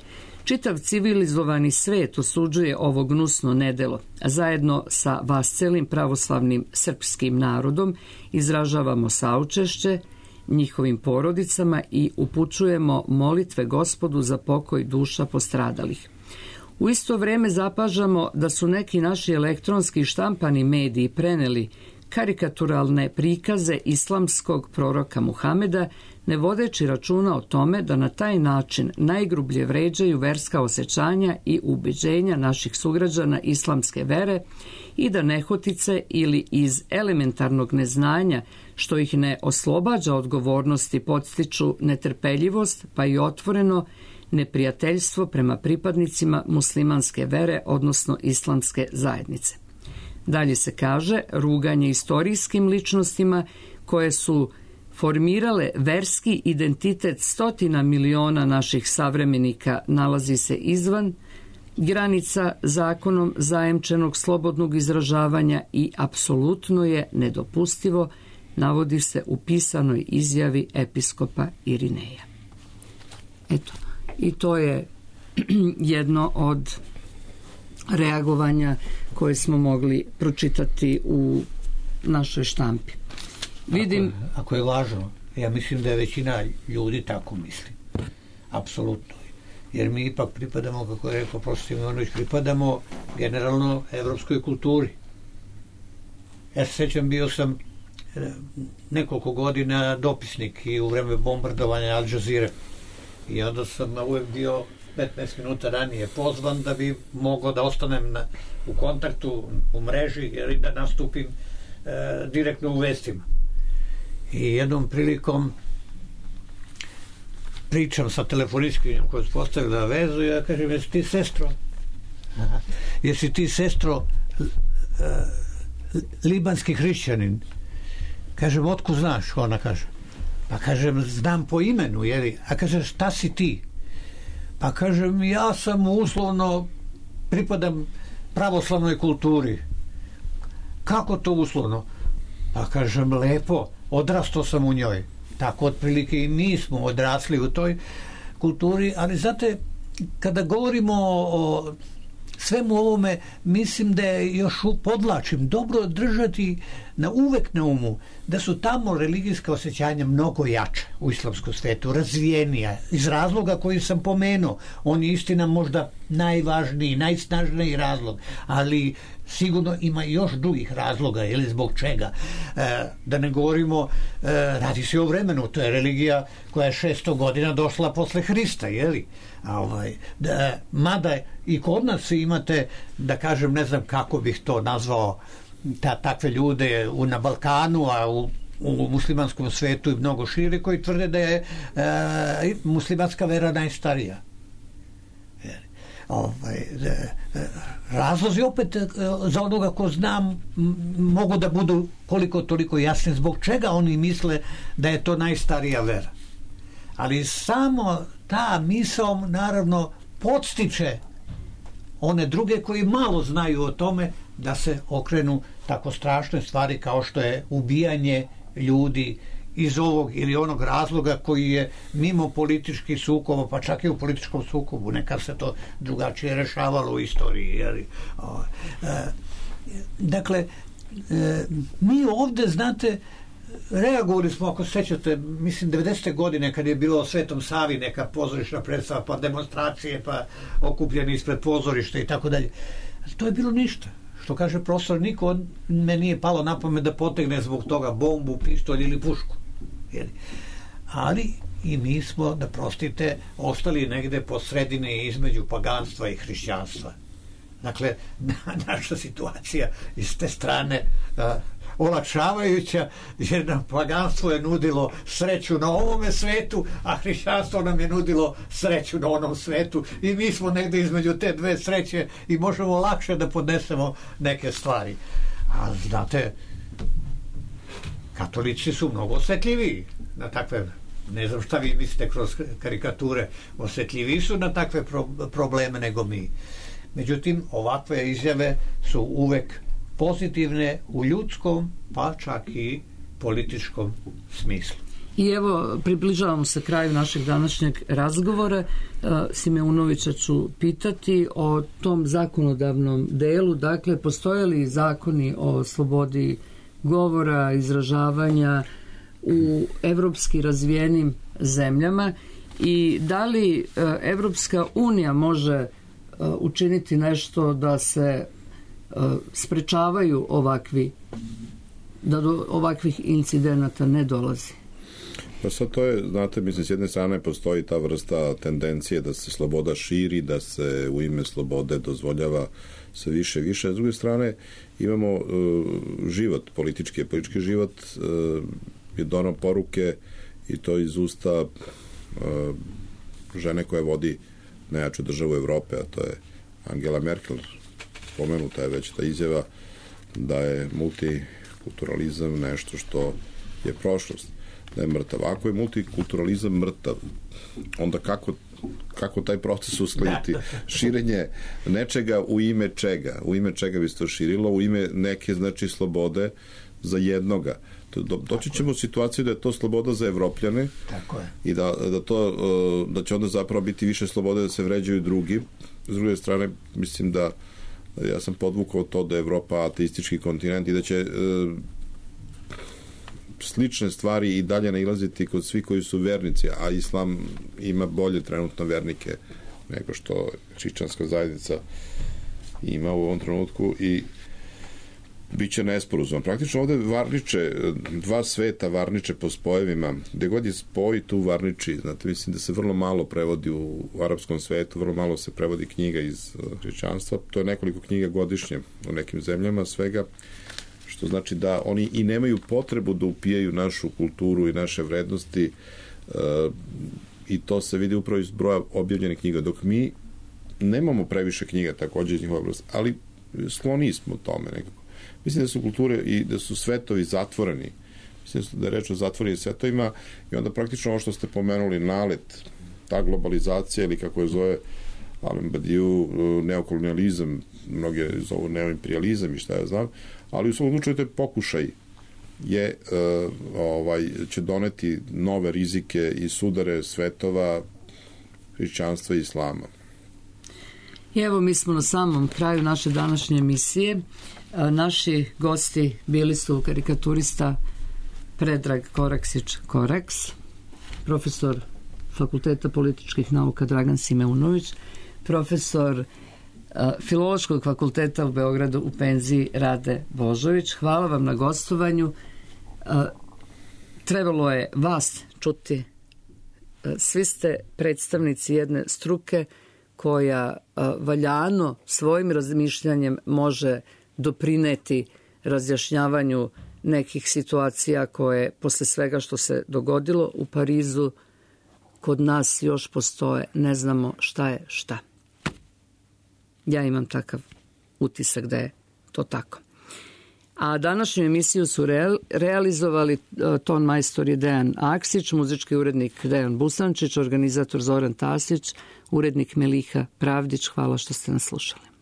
Čitav civilizovani svet osuđuje ovo gnusno nedelo, a zajedno sa vascelim pravoslavnim srpskim narodom izražavamo saučešće njihovim porodicama i upućujemo molitve Gospodu za pokoj duša postradalih. U isto vreme zapažamo da su neki naši elektronski i štampani mediji preneli karikaturalne prikaze islamskog proroka Muhameda, ne vodeći računa o tome da na taj način najgrublje vređaju verska osjećanja i ubeđenja naših sugrađana islamske vere i da nehotice ili iz elementarnog neznanja, što ih ne oslobađa odgovornosti, podstiču netrpeljivost pa i otvoreno neprijateljstvo prema pripadnicima muslimanske vere, odnosno islamske zajednice. Dalje se kaže, ruganje istorijskim ličnostima koje su formirale verski identitet stotina miliona naših savremenika nalazi se izvan granica zakonom zajemčenog slobodnog izražavanja i apsolutno je nedopustivo, navodi se u pisanoj izjavi episkopa Irineja. Eto, i to je jedno od reagovanja koje smo mogli pročitati u našoj štampi. Vidim... Ako je lažno, ja mislim da je većina ljudi tako misli. Apsolutno. Jer mi ipak pripadamo, kako je rekao profesor Simonović, pripadamo generalno evropskoj kulturi. Ja se sećam, bio sam nekoliko godina dopisnik i u vreme bombardovanja Al Jazeera. I onda sam uvek bio 15 minuta ranije pozvan da bi mogao da ostanem u kontaktu, u mreži, jer da nastupim direktno u vestima. I jednom prilikom pričam sa telefonistkinjom koja je postavila vezu i ja kažem, jesi ti sestro? Jesi ti sestro libanski hrišćanin? Kažem, otkud znaš? Ona kaže. Pa kažem, znam po imenu, jeli? A kaže, šta si ti? Pa kažem, ja sam uslovno, pripadam pravoslavnoj kulturi. Kako to uslovno? Pa kažem, lepo, odrastao sam u njoj. Tako otprilike i mi smo odrasli u toj kulturi, ali znate, kada govorimo o svemu ovome, mislim da je još podlačim dobro držati uvek na umu da su tamo religijska osjećanja mnogo jača u islamskom svetu, razvijenija, iz razloga koji sam pomenuo. On je istina možda najvažniji, najsnažniji razlog, ali sigurno ima još drugih razloga, ili zbog čega. Da ne govorimo, radi se o vremenu, to je religija koja je 600 godina došla posle Hrista, jeli? Mada i kod nas imate, da kažem, ne znam kako bih to nazvao, takve ljude na Balkanu, a u muslimanskom svetu i mnogo šire, koji tvrde da je muslimanska vera najstarija. Razlozi opet za onoga ko znam mogu da budu koliko toliko jasni zbog čega oni misle da je to najstarija vera. Ali samo ta misao naravno podstiče one druge koji malo znaju o tome da se okrenu tako strašne stvari kao što je ubijanje ljudi iz ovog ili onog razloga koji je mimo političkih sukoba, pa čak i u političkom sukobu, nekad se to drugačije rešavalo u istoriji. Dakle, mi ovde, znate, reagovali smo, ako se sećate, mislim 90. godine kad je bilo o Svetom Savi neka pozorišna predstava, pa demonstracije, pa okupljeni ispred pozorišta i tako dalje. To je bilo ništa. Što kaže profesor, niko me nije palo na pamet da potegne zbog toga bombu, pištolj ili pušku. Ali i mi smo, da prostite, ostali negde po sredini između paganstva i hrišćanstva. Dakle, naša situacija iz te strane olakšavajuća, jer nam paganstvo je nudilo sreću na ovome svetu, a hrišćanstvo nam je nudilo sreću na onom svetu i mi smo negde između te dve sreće i možemo lakše da podnesemo neke stvari. A znate, katolici su mnogo osvetljiviji na takve Ne znam šta vi mislite kroz karikature, osjetljiviji su na takve probleme nego mi. Međutim, ovakve izjave su uvek pozitivne u ljudskom, pa čak i političkom smislu. I evo, približavamo se kraju našeg današnjeg razgovora. Simeunovića ću pitati o tom zakonodavnom delu. Dakle, postoje li zakoni o slobodi govora, izražavanja u evropski razvijenim zemljama i da li Evropska unija može učiniti nešto da se sprečavaju da do ovakvih incidenata ne dolazi? Pa sad to je, znate, mislim, s jedne strane postoji ta vrsta tendencije da se sloboda širi, da se u ime slobode dozvoljava sve više i više. S druge strane imamo život, politički život je donao poruke i to iz usta žene koja vodi najjaču državu Evrope, a to je Angela Merkel. Pomenuta je već ta izjava da je multikulturalizam nešto što je prošlost, da je mrtav. Ako je multikulturalizam mrtav, onda kako taj proces uskladiti? Širenje nečega u ime čega? U ime čega bi se to širilo? U ime neke, znači, slobode za jednoga. Doći ćemo u situaciju da je to sloboda za Evropljane. Tako je. I da će onda zapravo biti više slobode da se vređaju drugi. S druge strane, mislim da ja sam podvukao to da je Evropa ateistički kontinent i da će slične stvari i dalje nailaziti kod svih koji su vernici, a islam ima bolje trenutno vernike nego što hrišćanska zajednica ima u ovom trenutku i bit će nesporazum. Praktično ovde varniče, dva sveta varniče po spojevima, gde god je spoj tu varniči, znate, mislim da se vrlo malo prevodi u arapskom svetu, vrlo malo se prevodi knjiga iz hrišćanstva, to je nekoliko knjiga godišnje u nekim zemljama svega, što znači da oni i nemaju potrebu da upijaju našu kulturu i naše vrednosti i to se vidi upravo iz broja objavljenih knjiga, dok mi nemamo previše knjiga takođe iz njihove oblasti, ali skloni smo tome nekako. Mislim da su kulture i da su svetovi zatvoreni. Mislim da je reč o zatvorenim svetovima i onda praktično ovo što ste pomenuli, nalet, ta globalizacija ili kako je zove Alain Badiou, neokolonializam, mnoge zovu neoimperializam i šta ja znam, ali u svom slučaju to je pokušaj će doneti nove rizike i sudare svetova hrišćanstva i islama. I evo, mi smo na samom kraju naše današnje emisije. Naši gosti bili su karikaturista Predrag Koraksić-Koraks, profesor Fakulteta političkih nauka Dragan Simeunović, profesor Filološkog fakulteta u Beogradu u penziji Rade Božović. Hvala vam na gostovanju. Trebalo je vas čuti. Svi ste predstavnici jedne struke koja valjano svojim razmišljanjem može doprineti razjašnjavanju nekih situacija koje posle svega što se dogodilo u Parizu kod nas još postoje. Ne znamo šta je šta. Ja imam takav utisak da je to tako. A današnju emisiju su realizovali ton majstor je Dejan Aksić, muzički urednik Dejan Busančić, organizator Zoran Tasić, urednik Meliha Pravdić. Hvala što ste nas slušali.